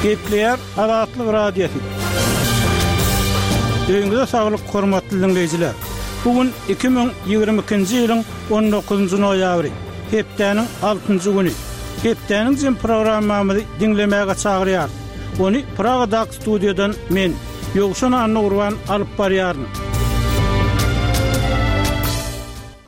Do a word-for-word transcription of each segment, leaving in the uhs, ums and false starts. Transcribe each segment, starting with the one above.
Gepleýär Azatlyk Radiosy. Öýüňize saglyk, hormatly diňleýjiler! Bu gün iki müň ýigrimi ikinji ýylyň on dokuzynjy noýabry, hepdäniň altynjy güni. Hepdäniň jem programmamyzy diňlemäge çagyrýarys. Ony Pragadaky studiýadan men, Ýowşan Annagurban alyp barýaryn.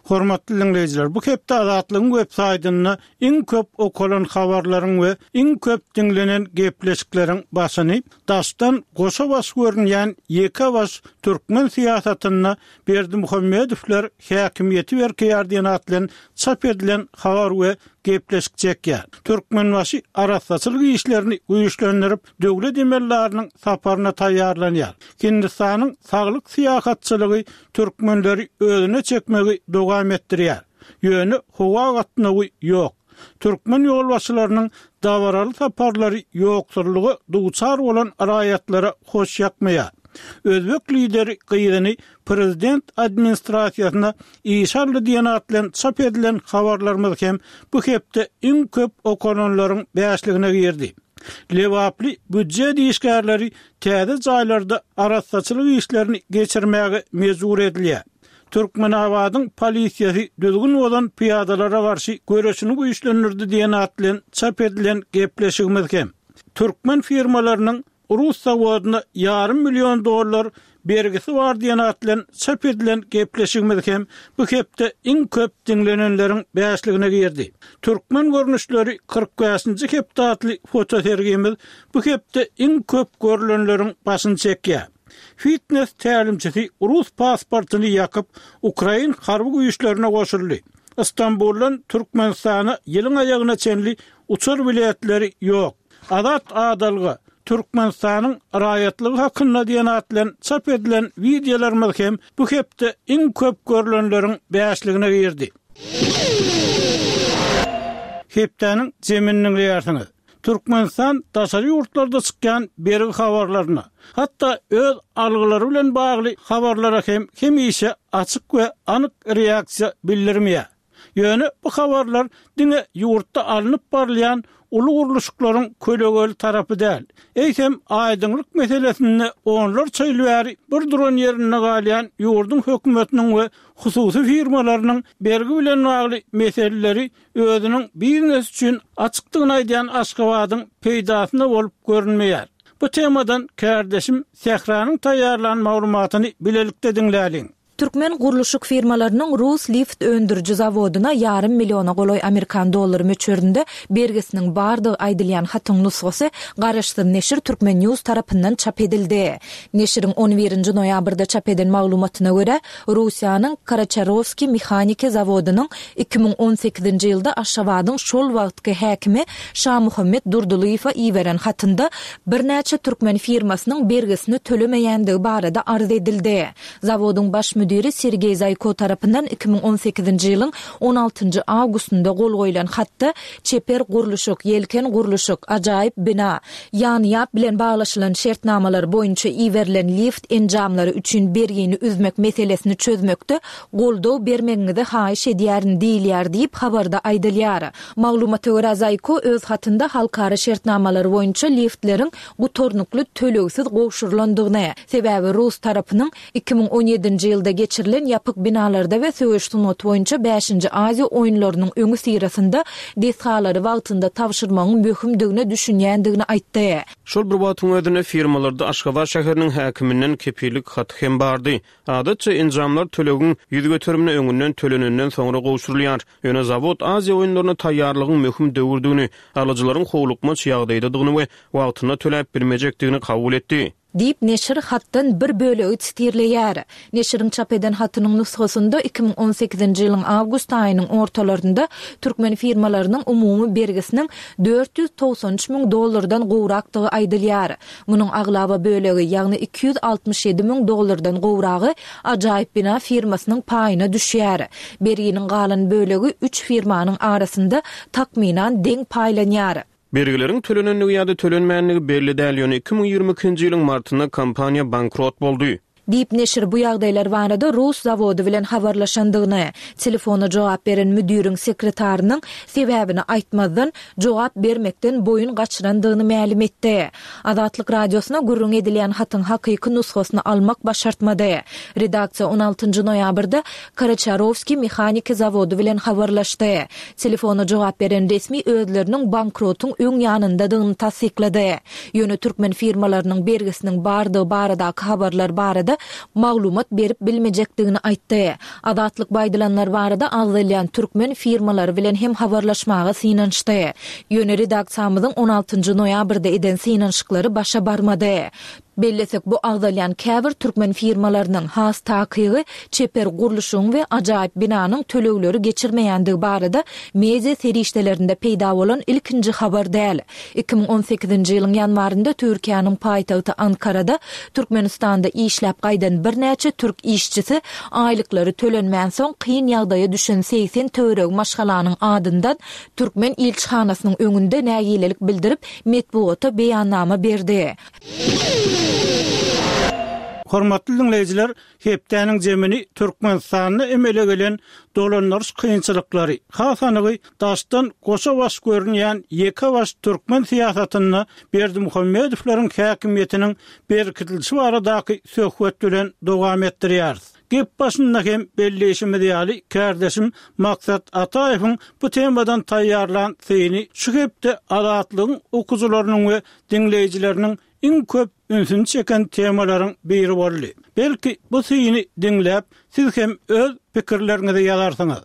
Hormatly diňleýjiler, bu hepde Azatlygyň web saýtynda iň köp okalan habarlaryň we iň köp diňlenen gepleşikleriň başyny daşdan goşa baş görünýän ýeke baş türkmen syýasatynda Berdimuhamedowlar häkimiýeti berkeýär diýen at bilen çap edilen habar we gepleşik çekýär. Türkmenbaşy arassaçylyk işlerini güýçlendirip, döwlet emeldarynyň saparyna taýýarlanýar. Hindistanyň saglyk syýahatçylygy türkmenleri özüne çekmegi dowam etdirýär. Ýöne howa gatnawy ýok. Türkmen ýolbaşçylarynyň dabaraly saparlary ýoksullyga duçar bolan raýatlara hoş ýakmaýar. Özbek lideri gyzyny prezident administrasiýasyna işe aldy diýen at bilen çap edilen habarlarymyz hem bu hepde iň köp okalanlaryň bäşligine girdi. Lebaply býujet işgärleri täze jaýlarda arassaçylyk işlerini geçirmäge mejbur edilýär. Türkmenabadyň polisiýasy düzgün bozan pyýadalara garşy göreşini güýçlendirdi diýen at bilen çap edilen gepleşigimiz hem türkmen firmalarynyň rus zawodyna ýarym million dollar bergisi bar diýen at bilen çap edilen gepleşigimiz hem bu hepde iň köp diňlenenleriň bäşligine girdi. Türkmen görnüşleri kyrk bäşinji hepde atly fotosergimiz bu hepde iň köp görlenleriň başyny çekýär. Fitness tälimçisi rus pasportyny ýakyp, ukrain harby güýçlerine goşuldy. Istanbuldan Türkmenistana ýylyň aýagyna çenli uçar biletleri ýok. Azat adalga Türkmenistanyň raýatlygy hakynda diýen at bilen çap edilen wideolarymyz hem bu hepde iň köp görlenleriň bäşligine girdi. Hepdäniň jemini diňleýärsiňiz. Türkmenistan daşary ýurtlarda çykýan bergi habarlaryna, hatda öz algylary bilen bagly habarlara hem hemişe açyk we anyk reaksiýa bildirmeýär. Ýöne bu habarlar diňe ýurtda alnyp barylýan uly gurluşyklaryň kölegeli tarapy däl. Eýsem, aýdyňlyk meselesinde onlarça ýyl bäri bir duran ýerinde galýan ýurduň hökümetiniň we hususy firmalarynyň bergi bilen bagly meseleleri özüniň biznes üçin açykdygyny aýdýan Aşgabadyň peýdasyna bolup görünmeýär. Bu temadan kärdeşim Sähranyň taýýarlan maglumatyny bilelikde diňläliň. Türkmen gurluşyk firmalarynyň rus lift öndüriji zawodyna ýarym milliona golaý amerikan dollary möçberinde bergisiniň bardygy aýdylýan hatyň nusgasy garaşsyz neşir Türkmen News tarapyndan çap edildi. Neşiriň on birinji noýabrda çap eden maglumatyna görä, Russiýanyň Karaçarowskiý mehaniki zawodynyň iki müň on sekizinji ýylda Aşgabadyň şol wagtky häkimi Şamuhammet Durdylyýewe iberen hatynda birnäçe türkmen firmasynyň bergisini tölemeýändigi barada arz edildi. Zawodyň baş müdiri Sergeý Zaýko tarapyndan iki müň on sekizinji ýylyň on altynjy awgustynda gol goýlan hatda çeper gurluşyk, ýelken gurluşyk, ajaýyp bina, ýan-ýap bilen baglaşylan şertnamalar boýunça iberilen lift enjamlary üçin bergini üzmek meselesini çözmekde goldaw bermegiňizi haýyş edýärin diýilýär diýip, habarda aýdylýar. Maglumata görä, Zaýko öz hatynda halkara şertnamalary boýunça liftleriň gutarnykly tölegsiz gowşurylandygyny, sebäbi rus tarapynyň iki müň on ýedinji ýylda geçirilen ýapyk binalarda we söweş sungaty boýunça bäşinji Aziýa oýunlarynyň öňüsyrasynda desgalary wagtynda tabşyrmagyň möhümdigine düşünýändigini aýtdy. Şol bir wagtyň özünde firmalarda Aşgabat şäheriniň häkiminden kepillik haty hem bardy. Adatça enjamlar tölegiň ýüz göterimini öňünden tölenenden soňra gowşurylýar. Ýöne zawod Aziýa oýunlaryna taýýarlygyň möhüm döwürdigini, alyjylaryň howlukmaç ýagdaýdadygyny we wagtynda töläp bilmejekdigini kabul etdi. Diýip, neşir hatdan bir bölegi sitirleýär. Neşiriň çap eden hatynyň nusgasynda iki müň on sekizinji ýylyň awgust aýynyň ortalarynda türkmen firmalarynyň umumy bergisiniň dört ýüz togsan üç müň dollardan gowrakdygy aýdylýar. Munuň aglaba bölegi, ýagny iki ýüz altmyş ýedi müň dollardan gowragy Ajaýyp bina firmasynyň paýyna düşýär. Berginiň galan bölegi üç firmanyň arasynda takmynan deň paýlanýar. Bergileriň tölenendigi ýa-da tölenmändigi belli däl, ýöne iki müň ýigrimi ikinji ýylyň martynda kompaniýa bankrot boldy. Diýip, neşir bu ýagdaýlar barada rus zawody bilen habarlaşandygyny, telefona jogap beren müdiriň sekretarynyň sebäbini aýtmazdan, jogap bermekden boýun gaçyrandygyny mälim etdi. Azatlyk Radiosyna gürrüň edilýän hatyň hakyky nusgasyny almak başartmady. Redaksiýa on altynjy noýabrda Karaçarowskiý mehaniki zawody bilen habarlaşdy. Telefona jogap beren resmi özleriniň bankrotyň öň ýanyndadygyny tassyklady. Ýöne türkmen firmalarynyň bergisiniň bardygy baradaky habarlar barada maglumat berip bilmejekdigini aýtdy. Azatlyk bu aýdylanlar barada agzalýan türkmen firmalary bilen hem habarlaşmaga synanyşdy. Ýöne redaksiýamyzyň on altynjy noýabrda eden synanyşyklary başa barmady. Bellesek, bu agzalýan käbir türkmen firmalarynyň, has takygy, Çeper gurluşygyň we ajaýyp binanyň tölegleri geçirmeýändigi barada media serişdelerinde peýda bolan ilkinji habar däl. Iki müň on sekizinji ýylyň ýanwarynda Türkiýäniň paýtagty Ankarada Türkmenistanda işläp gaýdan birnäçe türk işçisi aýlyklary tölenmänsoň kyn ýagdaýa düşen segsen töweregi maşgalanyň adyndan türkmen ilçihanasynyň öňünde nägilelik bildirip, metbugata beýannama berdi. Hormatly diňleýjiler, hepdäniň jemini Türkmenistanda emele gelen dolandyryş kynçylyklary, has anygy daşdan goşa baş görünýän ýeke baş türkmen syýasatynda Berdimuhamedowlaryň häkimiýetiniň berkidilişi baradaky söhbet bilen dowam etdirýäris. Gep başynda hem belleýşimiz ýaly, kärdeşim Maksat Ataýewiň bu temadan taýýarlan syny şu hepde Azatlygyň okyjylarynyň we diňleýjileriniň iň köp ünsüni çeken temalaryň biri boldy. Belki, bu syny diňläp, siz hem öz pikirleriňizi ýazarsyňyz.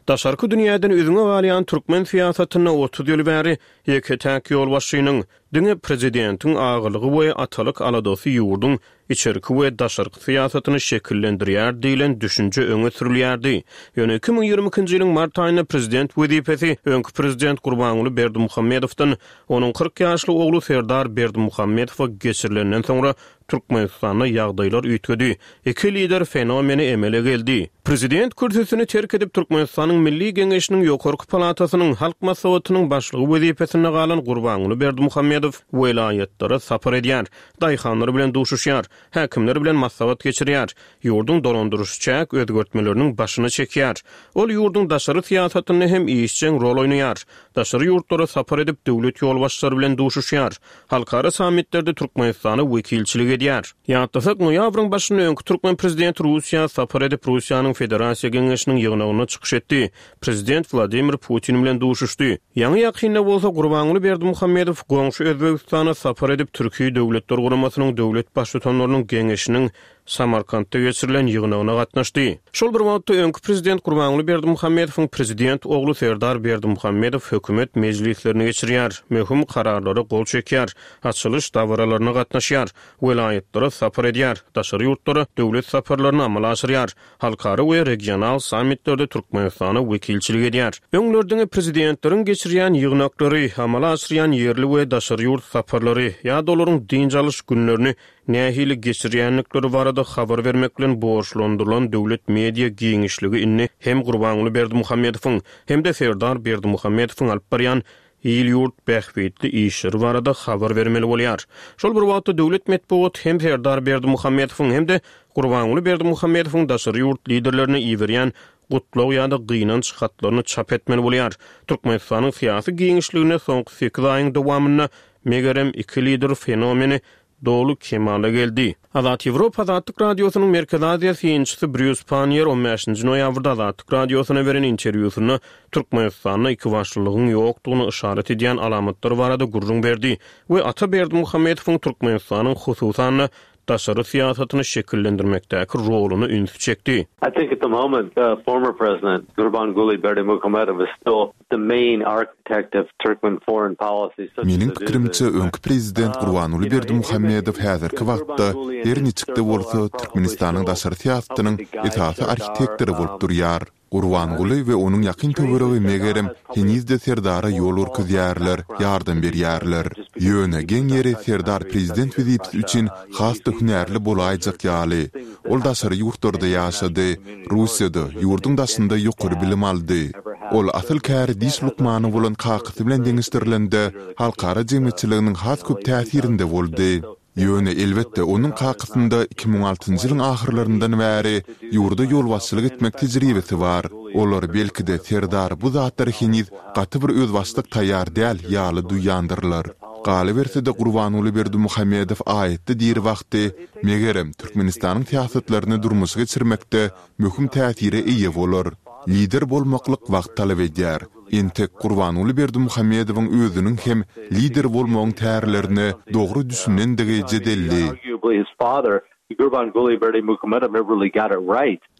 Daşarky dünýäden üzňe galýan türkmen syýasatynda otuz ýyl bäri ýeke-täk ýolbaşçynyň, diňe prezidentiň agalygy we atalyk aladasy ýurduň içerki we daşarky syýasatyny şekillendirýär diýlen düşünje öňe sürülýärdi. Ýöne iki müň ýigrimi ikinji ýylyň mart aýynda prezident wezipesi öňki prezident Gurbanguly Berdimuhamedowdan onuň kyrk ýaşly ogly Serdar Berdimuhamedowa geçirilenden soňra Türkmenistanda ýagdaýlar üýtgedi. Iki lider fenomeni emele geldi. Prezident kürsüsini terk edip Türkmenistanyň Milli Geňeşiniň Ýokarky palatasynyň Halk Maslahatynyň başlygy wezipesinde galan Gurbanguly Berdimuhamedow welaýatlara sapar edýär, daýhanlar bilen duşuşýar, häkimler bilen maslahat geçirýär, ýurduň dolandyryş-çäk özgertmeleriniň başyny çekýär. Ol ýurduň daşary syýasatynda hem işjeň rol oýnaýar. Daşary ýurtlara sapar edip, döwlet ýolbaşçylary bilen duşuşýar. Halkara sammitlerde Türkmenistana wekilçilik edýär. Ýatlasak, noýabryň başynda öňki türkmen prezidenti Russiýa sapar edip, Russiýanyň Federasiýa Geňeşiniň ýygnagynda çykyş etdi. Prezident Wladimir Putin bilen duşuşdy. Ýaňy-ýakynda bolsa Gurbanguly Berdimuhamedow goňşy Özbegistana sapar edip, Türki Döwletler Guramasynyň döwlet Baştutanlarynyň Geňeşiniň Samarkantda geçirilen ýygnagyna gatnaşdy. Şol bir wagtda, öňki prezident Gurbanguly Berdimuhamedowyň prezident ogly Serdar Berdimuhamedow hökümet mejlislerini geçirýär, möhüm kararlara gol çekýär, açylyş dabaralaryna gatnaşýar, welaýatlara sapar edýär, daşary ýurtlara döwlet saparlaryny amala aşyrýar, halkara we regional sammitlerde Türkmenistana wekilçilik edýär. Öňler diňe prezidentleriň geçirýän ýygnaklary, amala aşyrýan ýerli we daşary ýurt saparlary ýa-da olaryň dynç alyş günlerini nähili geçirýändikleri barada habar bermek bilen borçlandyrylan döwlet media giňişligi indi hem Gurbanguly Berdimuhamedowyň, hem-de Serdar Berdimuhamedowyň alyp barýan il-ýurt bähbitli işleri barada habar bermeli bolýar. Şol bir wagtda döwlet metbugaty hem Serdar Berdimuhamedowyň, hem-de Gurbanguly Berdimuhamedowyň daşary ýurt liderlerine iberýän gutlag ýa-da gynanç hatlaryny çap etmeli bolýar. Türkmenistanyň syýasy giňişliginde soňky sekiz aýyň dowamynda, megerem, iki lider fenomeni doly kemala geldi. Azat Ýewropa Azatlyk Radiosynyň Merkezi Aziýa synçysy Brýus Panniýer on bäşinji noýabrda Azatlyk Radiosyna beren interwýusynda Türkmenistanda ikibaşlylygyň ýokdugyny yşarat edýän alamatlar barada gürrüň berdi we Ata Berdimuhamedowyň Türkmenistanyň hususan-da daşary syýasatyny şekillendirmekdäki roluna ünsi çekdi. I think at the moment the former president Gurbanguly Berdimuhamedow is still the main architect of Turkmen foreign policy such as Meniň it is pikirimçe, öňki prezident Gurbanguly Berdimuhamedow häzirki wagtda, her niçik-de bolsa, Türkmenistanyň daşary syýasatynyň esasy arhitektory bolup durýar. Gurbanguly we onuň ýakyn töweregi megerem, heniz-de Serdara ýol görkezýärler, ýardam berýärler. Ýöne, geň ýeri, Serdar prezident wezipesi üçin has-da hünärli bolaýjak ýaly. Ol daşary ýurtlarda ýaşady, Russiýada, ýurduň daşynda ýokary bilim aldy. Ol asyl käri diş lukmany bolan kakasy bilen deňeşdirilende, halkara jemgyýetçiliginiň has köp täsirinde boldy. Ýöne, elbetde, onuň kakasynda iki müň altynjy ýylyň ahyrlaryndan bäri ýurda ýolbaşçylyk etmek tejribesi bar. Olar, belki-de, Serdar bu zatlara heniz gaty bir özbaşdak taýýar däl ýaly duýýandyrlar. Galyberse-de, Gurbanguly Berdimuhamedow aýatda diri wagty, megerem, Türkmenistanyň syýasatlaryny durmuşa geçirmekde möhüm täsire eýe bolar. Lider bolmaklyk wagt talap edýär. Entek Gurbanguly Berdimuhamedowyň özüniň hem lider bolmagyň tärlerine dogry düşünendigi jedelli.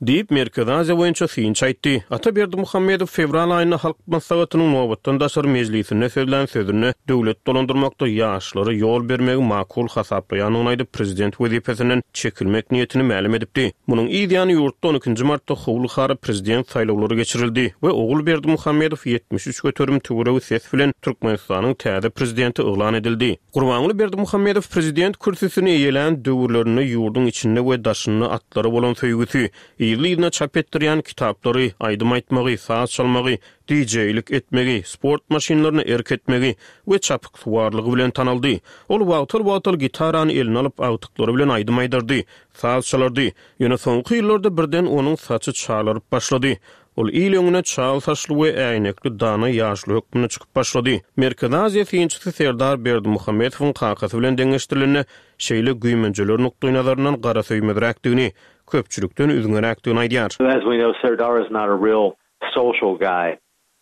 Diýip, Merkezi Aziýa boýunça synçy aýtdy. Ata Berdimuhamedow fewral aýynda Halk Maslahatynyň nobatdan daşary mejlisinde sözlän sözünde döwlet dolandyrmakda ýaşlara ýol bermegi makul hasaplaýandygyny aýdyp, prezident wezipesinden çekilmek niýetini mälim edipdi. Munuň yz ýany ýurtda on ikinji martda howul-hara prezident saýlawlary geçirildi we Ogul Berdimuhamedow ýetmiş üç göterim töweregi ses bilen Türkmenistanyň täze prezidenti yglan edildi. Gurbanguly Berdimuhamedow prezident kürsüsini eýelän döwürlerinde ýurduň içinde we daşynda atlara bolan söýgüsi, yzly-yzyna çap etdirýän kitaplary, aýdym aýtmagy, saz çalmagy, DJ-lik etmegi, sport maşynlaryna erk etmegi we çapyksuwarlygy bilen tanaldy. Ol wagtal-wagtal gitarany eline alyp, agtyklary bilen aýdym aýdardy, saz çalardy. Ýöne soňky ýyllarda birden onuň saçy çalaryp başlady. Ol il öňüne çal saçly we äýnekli dana ýaşuly hökmünde çykyp başlady. Merkezi Aziýa synçysy Serdar Berdimuhamedowyň kakasy bilen deňeşdirilende, şeýle güýmenjeler nukdaýnazaryndan garasöýmezräkdigini, köpçülikden üzňeräkdigini aýdýar. As we know, Serdar is not a real social guy.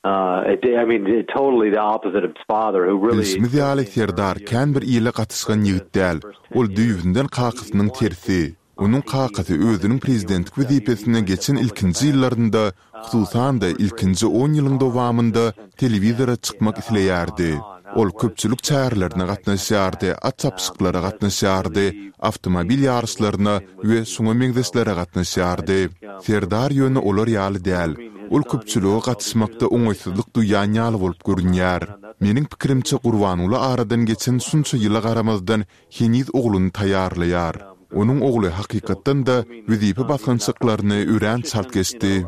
I mean, totally the opposite of his father, who really Bilşimiz ýaly, Serdar kän bir ile gatyşgan ýigit däl. Ol düýbünden kakasynyň tersi. Onuň kakasy özüniň prezidentlik wezipesine geçen ilkinji ýyllarynda, hususan-da, ilkinji on ýylyň dowamynda telewizora çykmak isleýärdi. Ol köpçülik çärelerine gatnaşýardy, at çapyşyklara gatnaşýardy, awtomobil ýaryşlaryna we şuňa meňzeşlere gatnaşýardy. Serdar ýöne olar ýaly däl. Ol köpçülige gatyşmakda oňaýsyzlyk duýýan ýaly bolup görünýär. Meniň pikirimçe, Gurbanguly aradan geçen şunça ýyla garamazdan heniz ogluny taýýarlaýar. Onuň ogly hakykatdan-da wezipe basgançaklaryny örän çalt geçdi.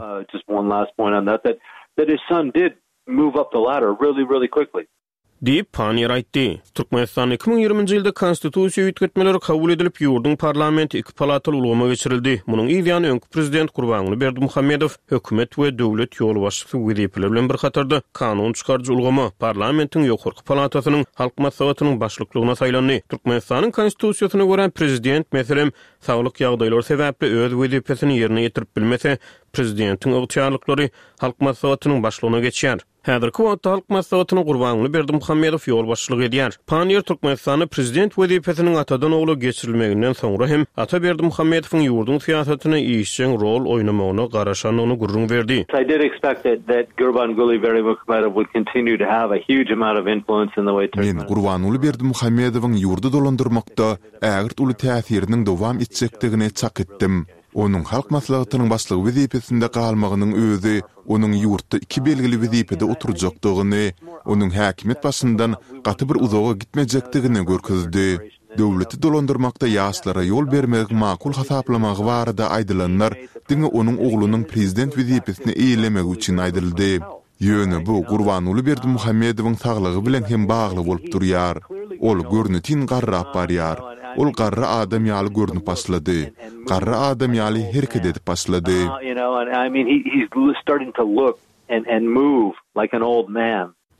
Diýip, Panniýer aýtdy. Türkmenistanda iki müň ýigriminji ýylda Konstitusiýa üýtgetmeleri kabul edilip, ýurduň parlamenti iki palataly ulgama geçirildi. Munuň yz ýany öňki prezident Gurbanguly Berdimuhamedow hökümet we döwlet ýolbaşçysy wezipeleri bilen bir hatarda kanun çykaryjy ulgama, parlamentiň ýokarky palatasynyň Halk Maslahatynyň başlyklygyna saýlandy. Türkmenistanyň Konstitusiýasyna görä, prezident, meselem, saglyk ýagdaýlary sebäpli öz wezipesini ýerine ýetirip bilmese, prezidentiň ygtyýarlyklary Halk Maslahatynyň başlygyna geçýär. Häzirki wagtda Halk Maslahatyna Gurbanguly Berdimuhamedow ýolbaşçylyk edýär. Panniýer Türkmenistanda prezident wezipesiniň atadan ogla geçirilmeginden soňra hem Ata Berdimuhamedowyň ýurduň syýasatyna işjeň rol oýnamagyna garaşandygyny gürrüň berdi. I did expect that that Gurbanguly Berdimuhamedow would continue to have a huge amount of influence in the way Men Gurbanguly Berdimuhamedowyň ýurdy dolandyrmakda ägirt uly täsiriniň dowam etjekdigini çak etdim. Onuň Halk Maslahatynyň Başlygy wezipesinde galmagynyň özi onuň ýurtda iki belgili wezipede oturjakdygyny, onuň häkimiýet başyndan gaty bir uzaga gitmejekdigini görkezdi. Döwleti dolandyrmakda ýaşlara ýol bermegiň makul hasaplamagy barada aýdylanlar diňe onuň oglunyň prezident wezipesini eýelemegi üçin aýdyldy. Ýöne bu Gurbanguly Berdimuhamedowyň saglygy bilen hem bagly bolup durýar. Ol görnetin garrap barýar. Ol garry adam ýaly görnüp başlady. Garry adam ýaly hereket edip başlady.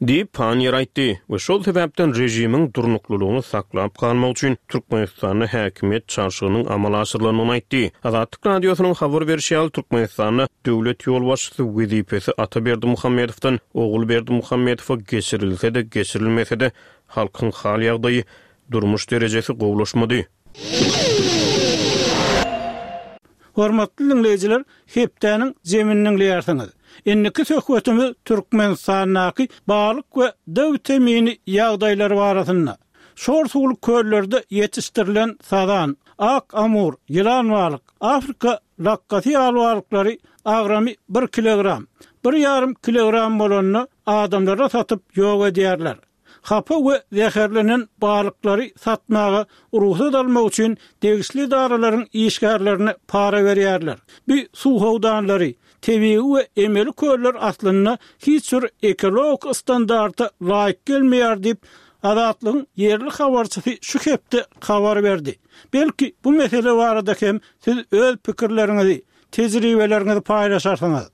Diýip, Panniýer aýtdy we şol sebäpden režimiň durnuklylygyny saklap galmak üçin Türkmenistanda häkimiýet çalşygynyň amala aşyrylandygyny aýtdy. Azatlyk Radiosynyň habar berşi ýaly, Türkmenistanda döwlet ýolbaşçysy wezipesi Ata Berdimuhamedowdan Ogul Berdimuhamedowa geçirilse-de, geçirilmese-de, halkyň hal-ýagdaýy, durmuş derejesi gowulaşmady. Hormatly diňleýjiler, hepdäniň jemini diňleýärsiňiz. Indiki söhbetimiz Türkmenistandaky balyk we D witamini ýagdaýlary barasynda. Şor suwly köllerde ýetişdirilen sazan, ak amur, ýylan balyk, Afrika lakgasy ýaly balyklary agramy bir kilogram, bir ýarym kilogram bolanda adamlara satyp ýok edýärler. Hapa we zäherlenen balyklary satmaga rugsat almak üçin degişli edaralaryň işgärlerine para berýärler. Bu suw howdanlary, tebigy we emeli köller aslynda hiç bir ekologik standarta laýyk gelmeýär diýip, Azatlygyň ýerli habarçysy şu hepde habar berdi. Belki bu mesele barada hem siz öz pikirleriňizi, tejribeleriňizi paýlaşarsyňyz.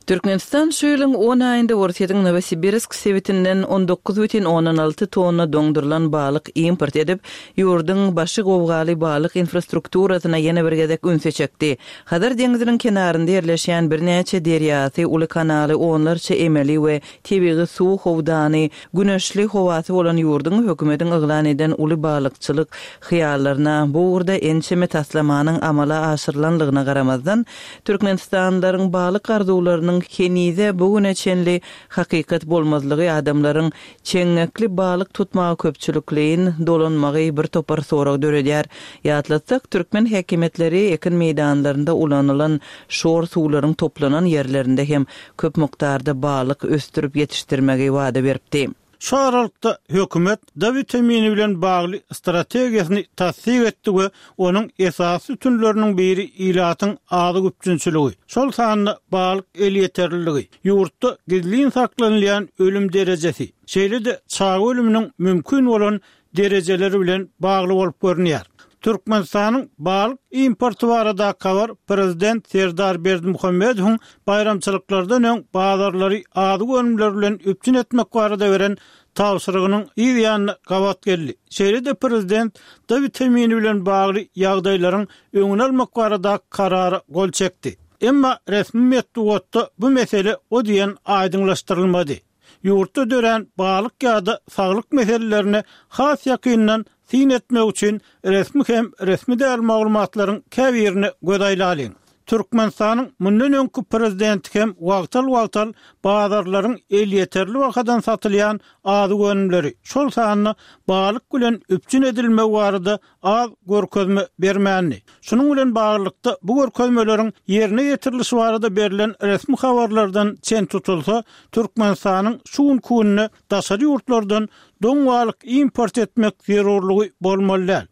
Türkmenistan şu ýylyň on aýynda Orsýetiň Nowosibirsk sebitinden on dokuz bütin ondan alty tonna doňdurylan balyk import edip, ýurduň başy gowgaly balyk infrastrukturasyna ýene bir gezek ünsi çekdi. Hazar deňziniň kenarynda ýerleşýän birnäçe derýasy, uly kanaly, onlarça emeli we tebigy suw howdany, güneşli howasy bolan ýurduň hökümetiň yglan eden uly balykçylyk hyýallaryna bu ugurda ençeme taslamanyň amala aşyrylanlygyna garamazdan, türkmenistanlylaryň balyk arzuwlarynyň henize bu güne çenli hakykat bolmazlygy adamlaryň çeňňekli balyk tutmaga köpçülikleýin dolanmagy bir topar sorag döredýär. Ýatlatsak, türkmen häkimiýetleri ekin meýdanlarynda ulanylan şor suwlaryň toplanan ýerlerinde hem köp mukdarda balyk ösdürip ýetişdirmegi wada beripdi. Şu aralykda hökümet D witamini bilen bagly strategiýasyny tassyk etdi we onuň esasy sütünleriniň biri ilatyň azyk üpjünçiligi, şol sanda balyk elýeterliligi, ýurtda gizlin saklanylýan ölüm derejesi, şeýle-de çaga ölüminiň mümkin bolan derejeleri bilen bagly bolup görünýär. Türkmenistanyň balyk importy barada habar Prezident Serdar Berdimuhamedowyň baýramçylyklardan öň bazarlary azyk önümleri bilen üpjün etmek barada beren tabşyrygynyň yz ýanyna gabat geldi. Şeýle-de Prezident D witamini bilen bagly ýagdaýlaryň öňüni almak barada karara gol çekdi. Emma resmi metbugatda bu mesele o diýen aýdyňlaşdyrylmady. Ýurtda dörän balyk ýa-da saglyk meselelerine has ýakyndan syn etmek üçin resmi hem resmi däl maglumatlaryň käbirine göz aýlalyň. Türkmenistanyň mundan öňki prezidenti hem wagtal-wagtal bazarlaryň elýeterli bahadan satylýan azyk önümleri, şol sanda balyk bilen üpjün edilmegi barada az görkezme bermändi. Şunuň bilen baglylykda bu görkezmeleriň ýerine ýetirilişi barada berlen resmi habarlardan çen tutulsa, Türkmenistanyň şu günki günde daşary ýurtlardan doň balyk import etmek zerurlygy bolmaly däl.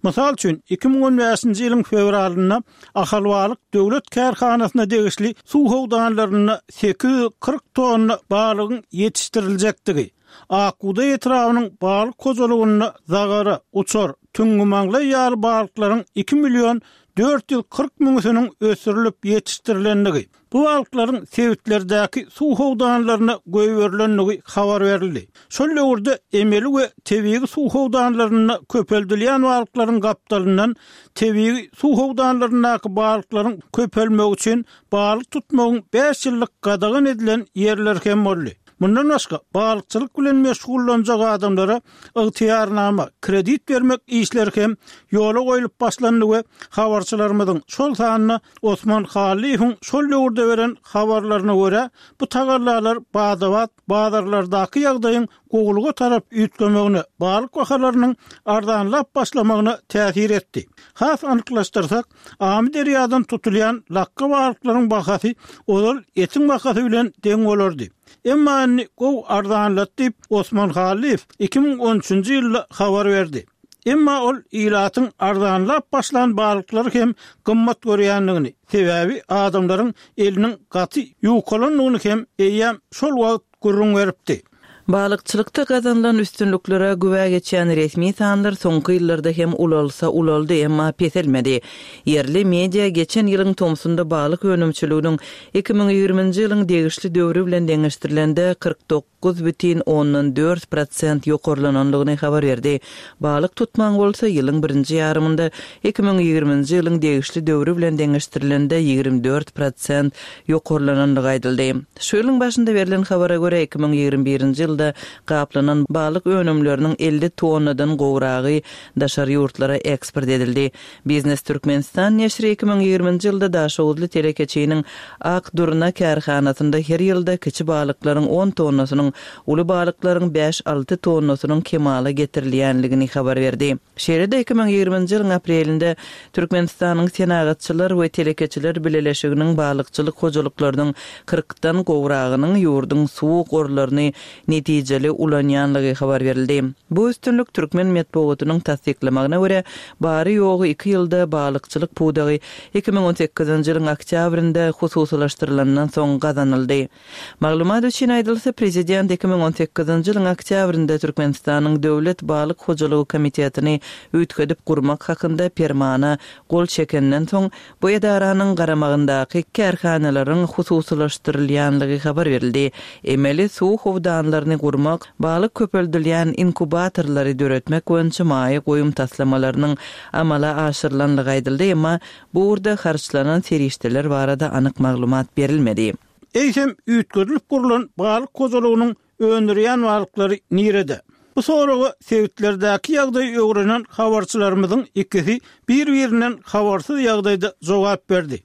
Mysal üçin, iki müň on bäşinji ýylyň fewralynda Ahal balyk döwlet kärhanasyna degişli suw howdanlarynda sekiz ýüz kyrk tonna balygyň ýetişdiriljekdigi, Akguda etrabynyň balyk hojalygynda zagara, uçar, tüňňi ýaly balyklaryň iki million dört ýüz kyrk müňüsiniň ösdürilip ýetişdirilendigi, bu balyklaryň sebitlerdäki suw howdanlaryna goýberilendigi habar berildi. Şol döwürde emeli we tebigy suw howdanlarynda köpeldilýän balyklaryň gapdalyndan tebigy suw howdanlaryndaky balyklaryň köpelmegi üçin balyk tutmagyň bäş ýyllyk gadagan edilen ýerler hem boldy. Mundan başga balykçylyk bilen meşgullanjak adamlara ygtyýarnama, kredit bermek işleri hem ýola goýlup başlandy we habarçylarymyzyň şol sanda Osman Hallyýewiň şol döwürde beren habarlaryna görä bu tagallalar badabat bazarlardaky ýagdaýyň gowulyga tarap üýtgemegine, balyk bahalarynyň arzanlap başlamagyna täsir etdi. Has anyklaşdyrsak, Amyderýadan tutulýan lakga balyklaryň bahasy ozal etiň bahasy bilen deň bolardy. Emma indi gow arzanlat diýip Osman Hallyýew iki müň on üçünji ýylda habar berdi. Emma ol ilatyň arzanlap başlan balyklary hem gymmat görýändigini, sebäbi adamlaryň eliniň gaty ýukalandygyny hem eýýäm şol wagt gürrüň beripdi. Balykçylykda gazanylan üstünliklere güwä geçýän resmi sanlar soňky ýyllarda hem ulalsa ulaldy, emma peselmedi. Ýerli media geçen ýylyň tomsunda balyk önümçiliginiň iki müň ýigriminji ýylyň degişli döwri bilen deňeşdirilende kyrk dokuz bütin ondan dört prosent ýokarlananlygyny habar berdi. Balyk tutmaň bolsa ýylyň birinji ýarymynda iki müň ýigriminji ýylyň degişli döwri bilen deňeşdirilende ýigrimi dört prosent ýokarlananlygy aýdyldy. Şu ýylyň başynda berlen habara görä iki müň ýigrimi birinji ýylda gaplanan balyk önümleriniň elli tonnadan gowragy daşary ýurtlara eksport edildi. Biznes Türkmenistan neşiri iki müň ýigriminji ýylda Daşoguzly telekeçiniň Ak Durna kärhanasynda her ýylda kiçi balyklaryň on tonnasynyň, uly balyklaryň bäş-alty tonnasynyň kemala getirilýänligini habar berdi. Şeýle-de iki müň ýigriminji ýylyň aprelinde Türkmenistanyň Senagatçylar we Telekeçiler Bileleşiginiň balykçylyk hojalyklarynyň kyrkdan gowragynyň ýurduň suw gorlaryny netijeli ulanýanlygy habar berildi. Bu üstünlik türkmen metbugatynyň tassyklamagyna görä, bary-ýogy iki ýylda balykçylyk pudagy iki müň on sekizinji ýylyň oktýabrynda hususylaşdyrylandan soň gazanyldy. Maglumat üçin aýdylsa, prezident iki müň on sekizinji ýylyň oktýabrynda Türkmenistanyň Döwlet balyk hojalygy komitetini üýtgedip gurmak hakynda permana gol çekenden soň, bu edaranyň garamagyndaky kärhanalaryň hususylaşdyrylýanlygy habar berildi. Emeli suw howdanlaryny gurmak, balyk köpeldilýän inkubatorlary döretmek boýunça maýa goýum taslamalarynyň amala aşyrylanlygy aýdyldy, emma bu ugurda harçlanan serişdeler barada anyk maglumat berilmedi. Eýsem üýtgedilip gurlan balyk hojalygynyň öndürýän balyklary nirede? Bu soraga sebitlerdäki ýagdaýy öwrenen habarçylarymyzyň ikisi bir-birinden habarsyz ýagdaýda jogap berdi.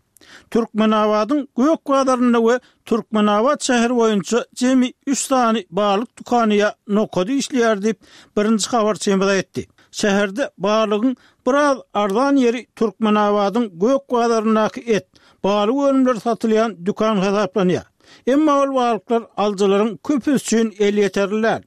Türkmenabadyň Gök bazarynda we Türkmenabat şäheri boýunça jemi üç sany balyk dükany ýa nokady işleýär diýip, birinji habarçymyz aýtdy. Şäherde balygyň biraz arzan ýeri Türkmenabadyň Gök bazaryndaky et, balyk önümleri satylýan dükan hasaplanýar. Emma ol balyklar alyjylaryň köpüsi üçin elýeterli däl.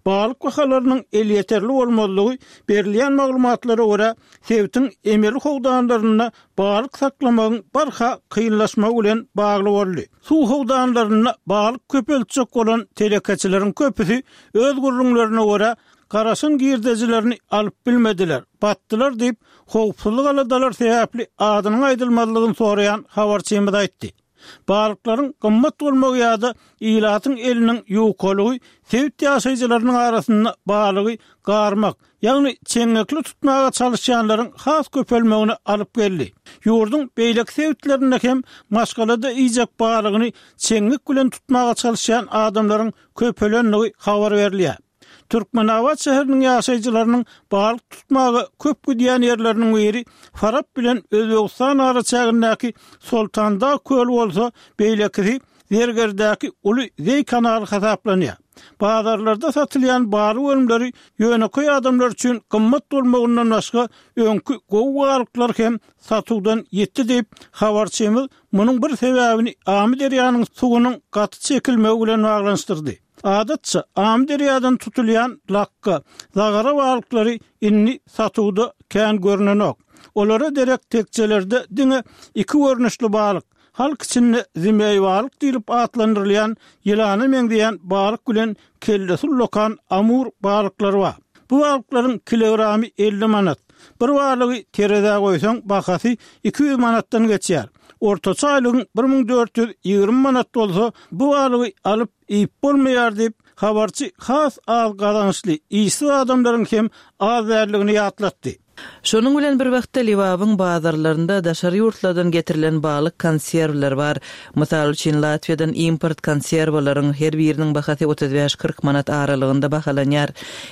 Balyk bahalarynyň elýeterli bolmazlygy berilýän maglumatlara görä, sebitiň emeli howdanlarynda balyk saklamagyň barha kynlaşmagy bilen bagly boldy. Suw howdanlarynda balyk köpeltjek bolan telekeçileriň köpüsi öz gürrüňlerine görä, garaşan girdejilerini alyp bilmediler, batdylar diýip, howpsuzlyk aladalar sebäpli adynyň aýdylmazlygyny soraýan habarçymyz aýtdy. Balyklaryň gymmat bolmagy ýa-da ilatyň eliniň ýukalygy sebit ýaşaýjylarynyň arasynda balygy garmak, ýagny çeňňekli tutmaga çalyşýanlaryň has köpelmegine alyp geldi. Ýurduň beýleki sebitlerinde hem maşgalada iýjek balygyny çeňňek bilen tutmaga çalyşýan adamlaryň köpelendigi habar berilýär. Türkmenabat şäheriniň ýaşaýjylarynyň balyk tutmaga köp gidýän ýerleriniň biri Farap bilen Özbegistan araçägindäki Soltandag köli bolsa, beýlekisi Zergerdäki uly Zeý kanaly hasaplanýar. Bazarlarda satylýan balyk önümleri ýönekeý adamlar üçin gymmat bolmagyndan başga öňki gowy balyklar hem satuwdan ýitdi diýip, habarçymyz munuň bir sebäbini Amyderýanyň suwunyň gaty çekilmegi bilen baglanyşdyrdy. Adatça Amyderýadan tutulýan lakga, zagara balyklary indi satuwda kän görnenok. Olara derek tekjelerde diňe iki görnüşli balyk, halk içinde zimeý balyk diýlip atlandyrylýan ýylana meňzeýän balyk bilen kellesi ullakan amur balyklary bar. Bu balyklaryň kilogramy elli manat. Bir balygy terezä goýsaň bahasy iki ýüz manatdan geçýär. Ortaça aýlygyň bir müň dört ýüz ýigrimi manat bolsa, bu balygy alyp iýip bolmaýar diýip, habarçy has az gazançly işsiz adamlaryň hem az däldigini ýatlatdy. Şonuň bilen bir wagtda Lebabyň bazarlarynda daşary ýurtlardan getirilen balyk konserwler bar. Mysal üçin Latwiýadan import konserwalaryň her biriniň bahasy otuz bäş kyrk manat aralygynda bahalanýar.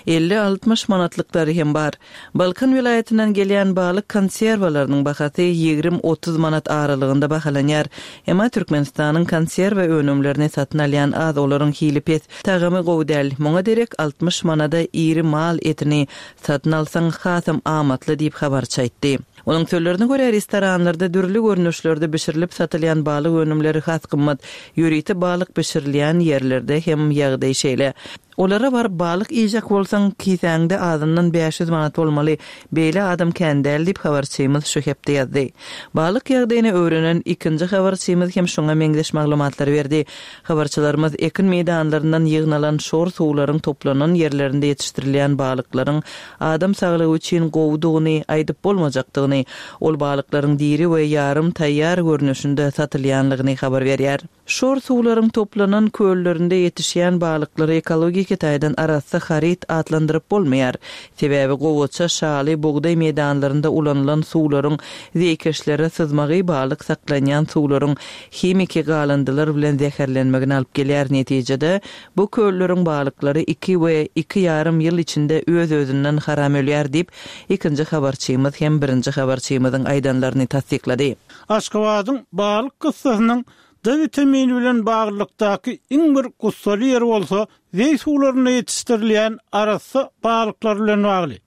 Elli altmyş manatlyklary hem bar. Balkan welaýatyndan gelýän balyk konserwalarynyň bahasy ýigrimi otuz manat aralygynda bahalanýar. Emma Türkmenistanyň konserwa önümlerini satyn alýan az, olaryň hili pes, tagamy gowy däl. Muňa derek altmyş manada iri mal etini satyn alsaň hasam amatly diýip habarçy aýtdy. Onuň sözlerine görä, restoranlarda dürli görnüşlerde bişirilip satylýan balyk önümleri has gymmat, ýörite balyk bişirilýän ýerlerde hem ýagdaý şeýle. Olara baryp balyk iýjek bolsaň, kisäňde azyndan bäş ýüz manat bolmaly, beýle adam kän däl diýip habarçymyz şu hepde ýazdy. Balyk ýagdaýyny öwrenen ikinji habarçymyz hem şoňa meňzeş maglumatlary berdi. Habarçylarymyz ekin meýdanlaryndan ýygnalan şor suwlaryň toplanan ýerlerinde ýetişdirilýän balyklaryň adam saglygy üçin gowudygyny aýdyp bolmajakdygyny, ol balyklaryň diri we ýarym taýýar görnüşinde satylýanlygyny habar berýär. Şor suwlaryň toplanan köllerinde ýetişýän balyklary ekologiki taýdan arassa haryt atlandyryp bolmaýar. Sebäbi gowaça, şaly, bugdaý meýdanlarynda ulanylan suwlaryň zeýkeşlere syzmagy balyk saklanýan suwlaryň himiki galyndylar bilen zäherlenmegini alyp gelýär. Netijede bu kölleriň balyklary iki we iki ýarym ýyl içinde öz-özünden haram ölýär diýip, ikinji habarçymyz hem birinji habarçymyzyň aýdanlaryny tassyklady. Aşgabadyň balyk kyssasynyň D vitamini bilen baglylykdaky iň bir gussaly ýeri bolsa, zeý suwlarynda ýetişdirilýän arassa balyklar bilen bagly.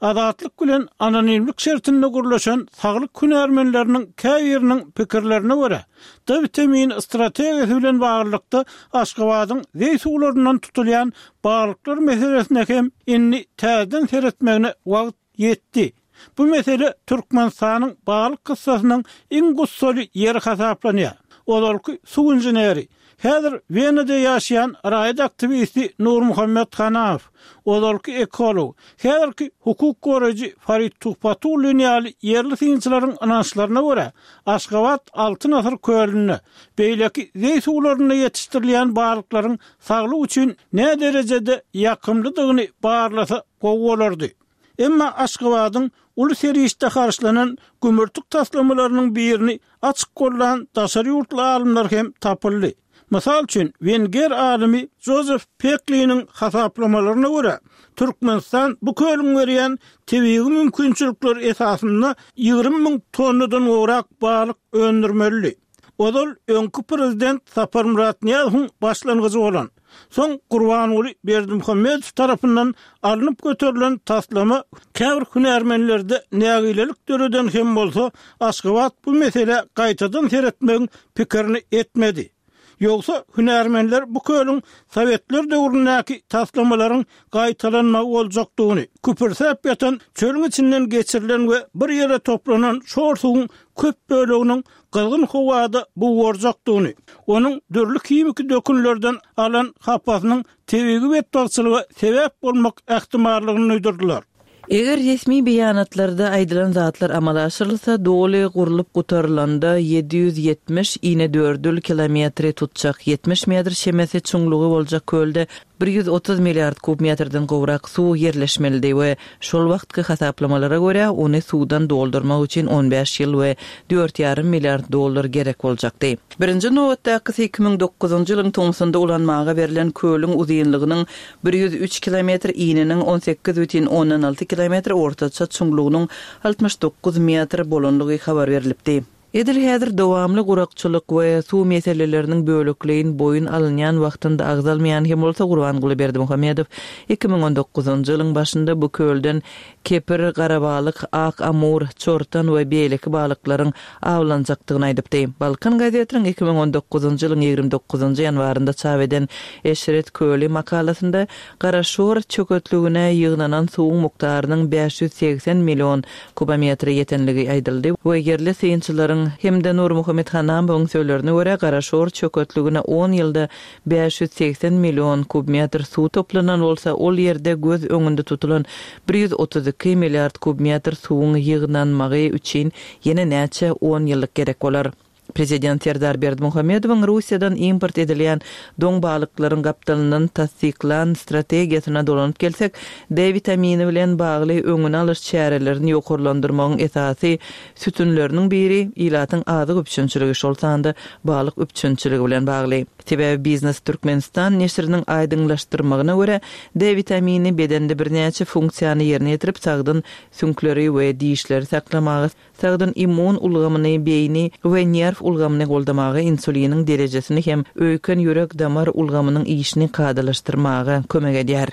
Azatlyk bilen anonimlik şertinde gürleşen saglyk hünärmenleriniň käbiriniň pikirlerine görä, D witamini strategiýasy bilen baglylykda Aşgabadyň zeý suwlaryndan tutulýan balyklar meselesine hem indi täzeden seretmegine wagt ýetdi. Bu mesele Türkmenistanyň balyk kyssasynyň iň gussaly ýeri hasaplanýar. Ozalky suw inženeri, häzir Wenada ýaşaýan raýat aktiwisti Nurmuhammet Hanamow, ozalky ekolog, häzirki hukuk goraýjy Farid Tuhbatullin ýaly ýerli synçylaryň ynançlaryna görä, Aşgabat Altyn asyr kölünde, beýleki zeý suwlarynda ýetişdirilýän balyklaryň saglyk üçin näderejede ýakymlydygyny barlasa gowy bolardy. Emma Aşgabadyň uly serişde harçlanan gümürtik taslamalarynyň birini açyk gollan daşary ýurtly alymlar hem tapyldy. Mysal üçin, wenger alymy Jozef Pekliniň hasaplamalaryna görä, Türkmenistan bu kölüň berýän tebigy mümkinçilikleri esasynda ýigrimi müň tonnadan gowrak balyk öndürmelidi. Ozal öňki prezident Saparmyrat Nyýazowyň başlangyjy bolan, soň Gurbanguly Berdimuhamedow tarapyndan alnyp göterilen taslama käbir hünärmenlerde nägilelik döreden hem bolsa, Aşgabat bu meselä gaýtadan seretmegiň pikirini etmedi. Ýogsa hünärmenler bu kölüň sowetler döwründäki taslamalaryň gaýtalanmagy boljakdygyny, küpürsäp ýatan çölüň içinden geçirilen we bir ýere toplanan şor suwuň köp böleginiň gyzgyn howada bugarjakdygyny, onuň dürli himiki dökünlerden alan hapasynyň tebigy betbagtçylyga sebäp bolmak ähtimallygyny duýdurdylar. Eger resmi beýanatlarda aýdylan zatlar amala aşyrylsa, doly gurlup gutarylanda ýedi ýüz ýetmiş inedördül kilometri tutjak, ýetmiş metr çemesi çuňlugy boljak kölde bir ýüz otuz milliard kub metrden gowrak suw ýerleşmelidi we şol wagtky hasaplamalara görä, ony suwdan doldurmak üçin on bäş ýyl we dört ýarym milliard dollar gerek boljakdy. Birinji nobatdakysy iki müň dokuzynjy ýylyň tomsunda ulanmaga berlen kölüň uzynlygynyň bir ýüz üç kilometr, ininiň on sekiz bütin ondan alty kilometr, ortaça çuňlugynyň altmyş dokuz metr bolanlygy habar berlipdi. Edil häzir dowamly gurakçylyk we suw meseleleriniň bölekleýin boýun alynýan wagtynda agzalmaýan hem bolsa Gurbanguly Berdimuhamedow iki müň on dokuzynjy ýylyň başynda bu kölden kepir, garabalyk, ak amur, çortan we beýleki balyklaryň awlanjakdygyny aýdypdy. Balkan gazetiniň iki müň on dokuzynjy ýylyň ýigrimi dokuzynjy ýanwarynda çap eden Eşret köli makalasynda Garaşor çöketligine ýygnanan suwuň mukdarynyň bäş ýüz segsen million kubometre ýetenligi aýdyldy we ýerli synçylaryň hem-de Nurmuhammet Hanamowyň sözlerine görä, Garaşor çöketligine on ýylda bäş ýüz segsen million kubmetr suw toplanan bolsa, ol ýerde göz öňünde tutulan bir ýüz otuz iki milliard kubmetr suwuň ýygnanmagy üçin ýene näçe on ýyllyk gerek bolar. Prezident Serdar Berdimuhamedowyň Russiýadan import edilýän doň balyklaryň gapdalyndan tassyklan strategiýasyna dolanyp gelsek, D witamini bilen bagly öňüni alyş çärelerini ýokarlandyrmagyň esasy sütünleriniň biri ilatyň azyk üpjünçiligi, şol sanda balyk üpjünçiligi bilen bagly. Sebäbi Biznes Türkmenistan neşiriniň aýdyňlaşdyrmagyna görä, D witamini bedende birnäçe funksiýany ýerine ýetirip, sagdyn süňkleri we dişleri saklamaga, sagdyn immun ulgamyny, beýni we nerw ulgamyny goldamaga, insuliniň derejesini hem öýken ýürek-damar ulgamynyň işini kadalaşdyrmaga kömek edýär.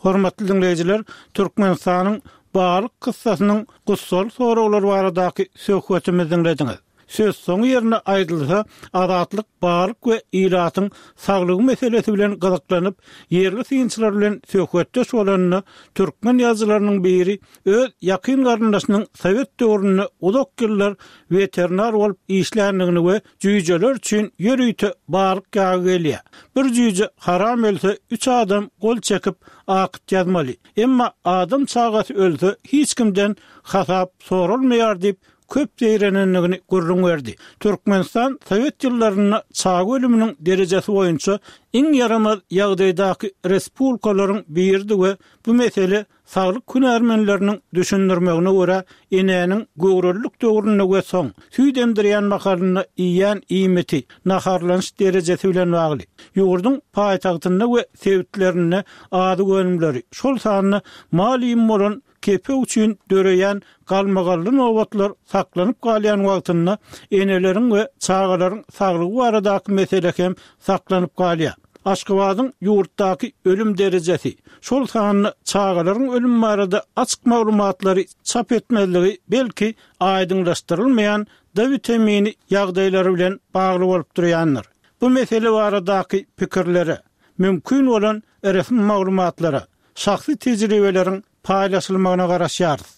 Hormatly dinleýjiler, Türkmenistanyň balyk kyssasynyň gussaly soraglary baradaky söhbetimizi diňlediňiz. Söz soňy ýerine aýdylsa, Azatlyk balyk we ilatyň saglygy meselesi bilen gyzyklanyp, ýerli synçylar bilen söhbetdeş bolanda, türkmen ýazyjylarynyň biri öz ýakyn garyndaşynyň sowet döwründe uzak ýyllar weterinar bolup işländigini we jüýjeler üçin ýörite balyk ýagy gelýär. Bir jüýje haram ölse, üç adam gol çekip akyt ýazmaly. Emma adam çagasy ölse, hiç kimden hasap soralmaýar diýip, köp zeýrenendigini gürrüň berdi. Türkmenistan sowet ýyllarynda çaga ölüminiň derejesi boýunça iň ýaramaz ýagdaýdaky respublikalaryň biridi we bu mesele saglyk hünärmenleriniň düşündirmegine görä enäniň göwrelilik döwründe we soň süýt emdirýän mahalynda iýýän iýmiti, naharlanyş derejesi bilen bagly. Ýurduň paýtagtynda we sebitlerinde azyk önümleri, şol sanda mal iým bolan kepek üçin döreýän galmagally nobatlar saklanyp galýan wagtynda eneleriň we çagalaryň saglygy baradaky mesele hem saklanyp galýar. Aşgabadyň ýurtdaky ölüm derejesi, şol sanda çagalaryň ölümi barada açyk maglumatlary çap etmezligi belki aýdyňlaşdyrylmaýan D witamini ýagdaýlary bilen bagly bolup durýandyr. Bu mesele baradaky pikirlere, mümkin bolan resmi maglumatlara, şahsy tejribeleriň paýlaşylmagyna garaşýarys.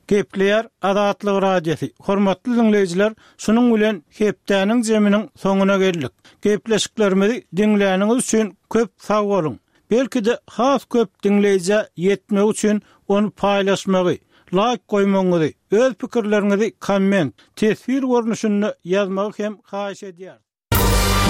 Gepleýär Azatlyk Radiosy. Hormatly diňleýjiler, şunuň bilen hepdäniň jeminiň soňuna geldik. Gepleşiklerimizi diňläniňiz üçin köp sag boluň. Belki-de has köp diňleýjä ýetmegi üçin ony paýlaşmagy, laýk goýmagyňyzy, öz pikirleriňizi komment, teswir görnüşinde ýazmagy hem haýyş edýäris.